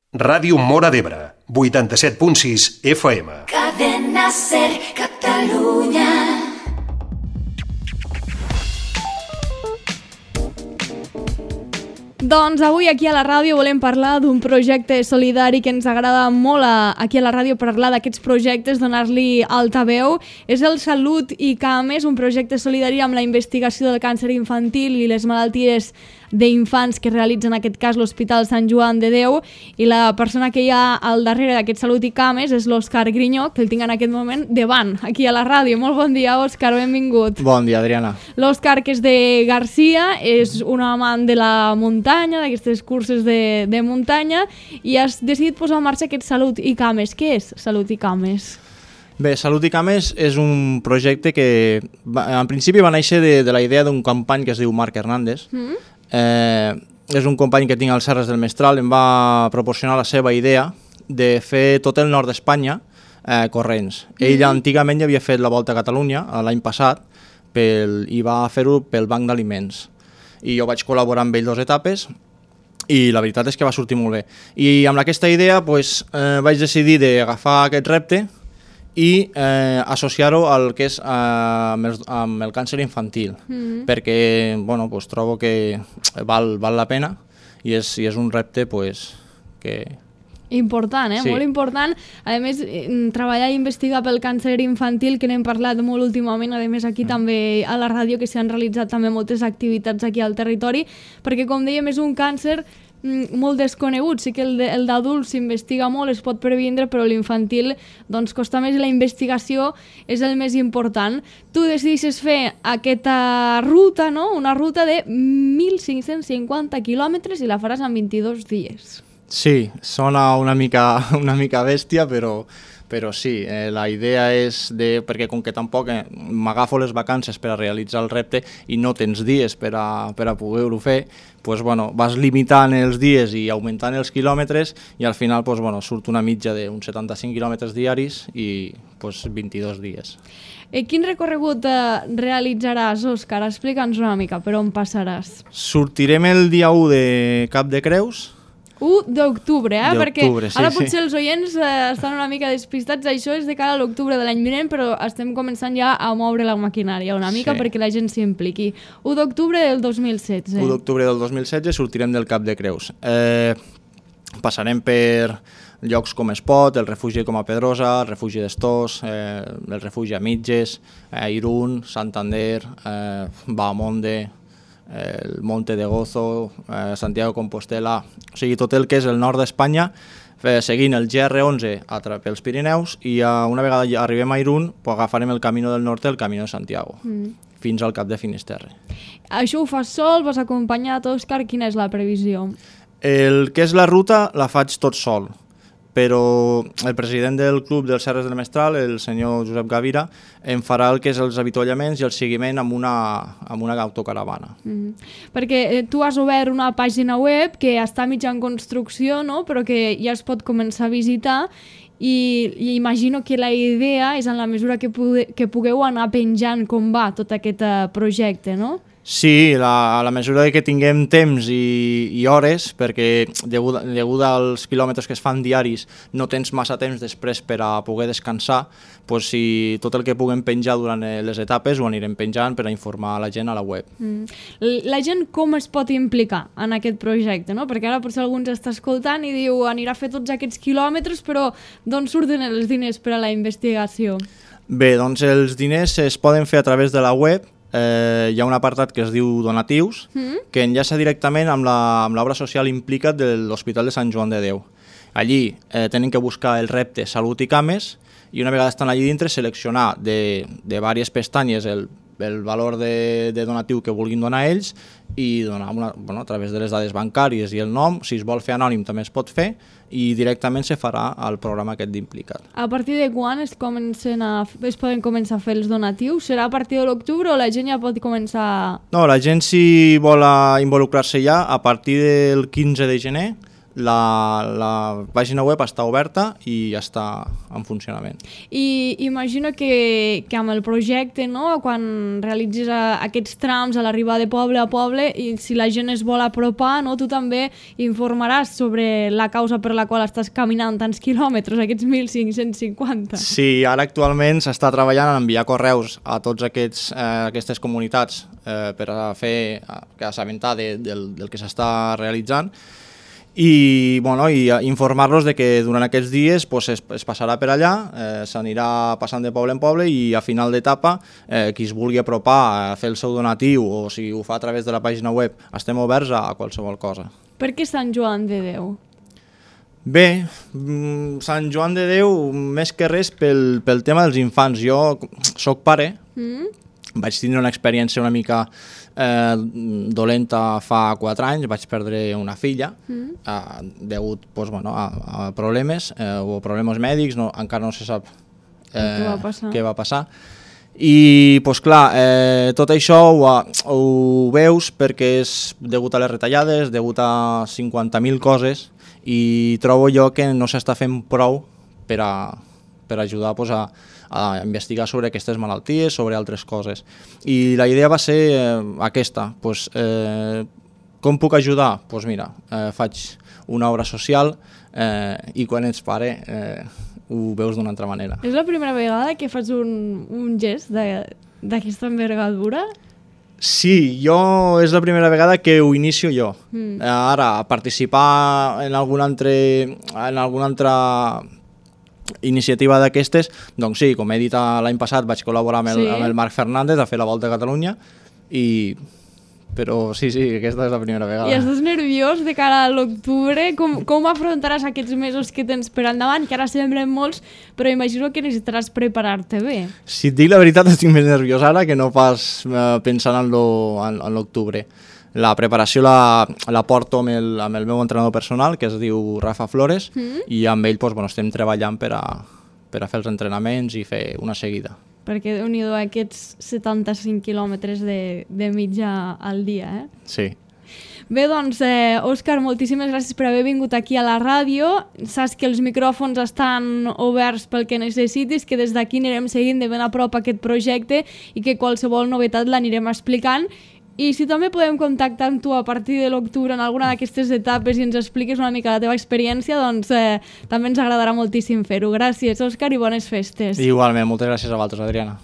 Ràdio Móra d'Ebre, 87.6 FM. Cadena Ser Catalunya. Doncs avui aquí a la ràdio volem parlar d'un projecte solidari que ens agrada molt aquí a la ràdio parlar d'aquests projectes, donar-li altaveu. És el Salut i Cames, un projecte solidari amb la investigació del càncer infantil i les malalties d'infants que realitza en aquest cas l'Hospital Sant Joan de Déu, i la persona que hi ha al darrere d'aquest Salut i Cames és l'Òscar Grinyó, que el tinc en aquest moment davant, aquí a la ràdio. Molt bon dia, Òscar, benvingut. Bon dia, Adriana. L'Òscar, que és de Garcia, és un amant de la muntanya, d'aquestes curses de muntanya, i has decidit posar en marxa aquest Salut i Cames. Què és Salut i Cames? Bé, Salut i Cames és un projecte que en principi va néixer de la idea d'un company que es diu Marc Hernández. És un company que tinc als Serres del Mestral, em va proporcionar la seva idea de fer tot el nord d'Espanya corrents. Ell antigament ja havia fet la Volta a Catalunya l'any passat i va fer-ho pel Banc d'Aliments. I jo vaig col·laborar amb ell 2 etapes i la veritat és que va sortir molt bé. I amb aquesta idea vaig decidir d'agafar aquest repte i associar-ho al que és amb el càncer infantil, perquè trobo que val la pena i és un repte que... Important, Sí. Molt important. A més, treballar i investigar pel càncer infantil, que n'hem parlat molt últimament, a més aquí també a la ràdio, que s'han realitzat també moltes activitats aquí al territori, perquè com dèiem és un càncer molt desconegut. Sí que el d'adults s'investiga molt, es pot previndre, però l'infantil doncs costa més i la investigació és el més important. Tu decideixes fer aquesta ruta, no? Una ruta de 1.550 quilòmetres i la faràs en 22 dies. Sí, sona una mica bèstia, però sí, la idea és perquè com que tampoc m'agafo les vacances per a realitzar el repte i no tens dies per a poder-ho fer, vas limitant els dies i augmentant els quilòmetres i al final surt una mitja d'uns 75 quilòmetres diaris i 22 dies. Quin recorregut realitzaràs, Òscar? Explica'ns una mica per on passaràs. Sortirem el dia 1 de Cap de Creus. 1 d'octubre, perquè sí, ara potser els oients estan una mica despistats. Això és de cara a l'octubre de l'any vinent, però estem començant ja a moure la maquinària una mica perquè la gent s'hi impliqui. 1 d'octubre del 2016. 1 d'octubre del 2016 sortirem del Cap de Creus. Passarem per llocs com Espot, el refugi com a Pedrosa, el refugi d'Estós, el refugi a Mitges, Irún, Santander, Bahamonde, el Monte de Gozo, Santiago de Compostela, o sigui, tot el que és el nord d'Espanya, seguint el GR11 pels Pirineus, i una vegada arribem a Irún agafarem el Camino del Norte, el Camino de Santiago, fins al Cap de Finisterre. Això ho fas sol, vas acompanyat, Òscar? Quina és la previsió? El que és la ruta la faig tot sol, però el president del club dels Serres del Mestral, el senyor Josep Gavira, em farà el que és els avituallaments i el seguiment amb una autocaravana. Perquè tu has obert una pàgina web que està mitja en construcció, no? Però que ja es pot començar a visitar i imagino que la idea és en la mesura que pugueu anar penjant com va tot aquest projecte, no? Sí, a la mesura que tinguem temps i hores, perquè degut als quilòmetres que es fan diaris no tens massa temps després per a poder descansar, si tot el que puguem penjar durant les etapes ho anirem penjant per a informar la gent a la web. La gent com es pot implicar en aquest projecte, no? Perquè ara potser algú ens està escoltant i diu anirà a fer tots aquests quilòmetres, però d'on surten els diners per a la investigació? Bé, doncs els diners es poden fer a través de la web. Hi ha un apartat que es diu donatius, que enllaça directament amb l'obra social Implica't de l'Hospital de Sant Joan de Déu. Allí tenen que buscar el repte Salut i Cames i una vegada estan allí dintre seleccionar de diverses pestanyes el valor de donatiu que vulguin donar ells i donar a través de les dades bancàries i el nom. Si es vol fer anònim també es pot fer i directament se farà al programa aquest d'Implica't. A partir de quan es poden començar a fer els donatius? Serà a partir de l'octubre o la gent ja pot començar? No, la gent si vol involucrar-se ja a partir del 15 de gener la pàgina web està oberta i està en funcionament. I imagino que amb el projecte, no? Quan realitzis aquests trams a l'arribada de poble a poble, i si la gent es vol apropar, no? Tu també informaràs sobre la causa per la qual estàs caminant tants quilòmetres, aquests 1.550. Sí, ara actualment s'està treballant en enviar correus a tots aquestes comunitats per a fer assabentar del que s'està realitzant i informar-los de que durant aquests dies es passarà per allà, s'anirà passant de poble en poble i a final d'etapa qui es vulgui apropar a fer el seu donatiu o si ho fa a través de la pàgina web, estem oberts a qualsevol cosa. Per què Sant Joan de Déu? Bé, Sant Joan de Déu més que res pel tema dels infants. Jo soc pare, vaig tindre una experiència una mica dolenta fa 4 anys, vaig perdre una filla degut a problemes o problemes mèdics, encara no se sap què va passar. I tot això ho veus perquè és degut a les retallades, degut a 50.000 coses i trobo jo que no s'està fent prou per ajudar a investigar sobre aquestes malalties, sobre altres coses. I la idea va ser aquesta, com puc ajudar? Doncs mira, faig una obra social i quan ets pare ho veus d'una altra manera. És la primera vegada que fas un gest d'aquesta envergadura? Sí, és la primera vegada que ho inicio jo. Ara, participar en alguna altra iniciativa d'aquestes, doncs sí, com he dit l'any passat vaig col·laborar amb el Marc Fernández a fer la Volta a Catalunya, però sí, aquesta és la primera vegada. I estàs nerviós de cara a l'octubre? Com afrontaràs aquests mesos que tens per endavant, que ara semblen molts, però imagino que necessitaràs preparar-te bé. Si et dic la veritat, estic més nerviós ara que no pas pensant en l'octubre. La preparació la porto amb el meu entrenador personal, que es diu Rafa Flores, i amb ell estem treballant per a fer els entrenaments i fer una seguida. Perquè Déu-n'hi-do aquests 75 quilòmetres de mitja al dia, eh? Sí. Bé, doncs, Òscar, moltíssimes gràcies per haver vingut aquí a la ràdio. Saps que els micròfons estan oberts pel que necessitis, que des d'aquí anirem seguint de ben a prop aquest projecte i que qualsevol novetat l'anirem explicant. I si també podem contactar amb tu a partir de l'octubre en alguna d'aquestes etapes i ens expliques una mica la teva experiència, doncs també ens agradarà moltíssim fer-ho. Gràcies, Òscar, i bones festes. Igualment, moltes gràcies a vosaltres, Adriana.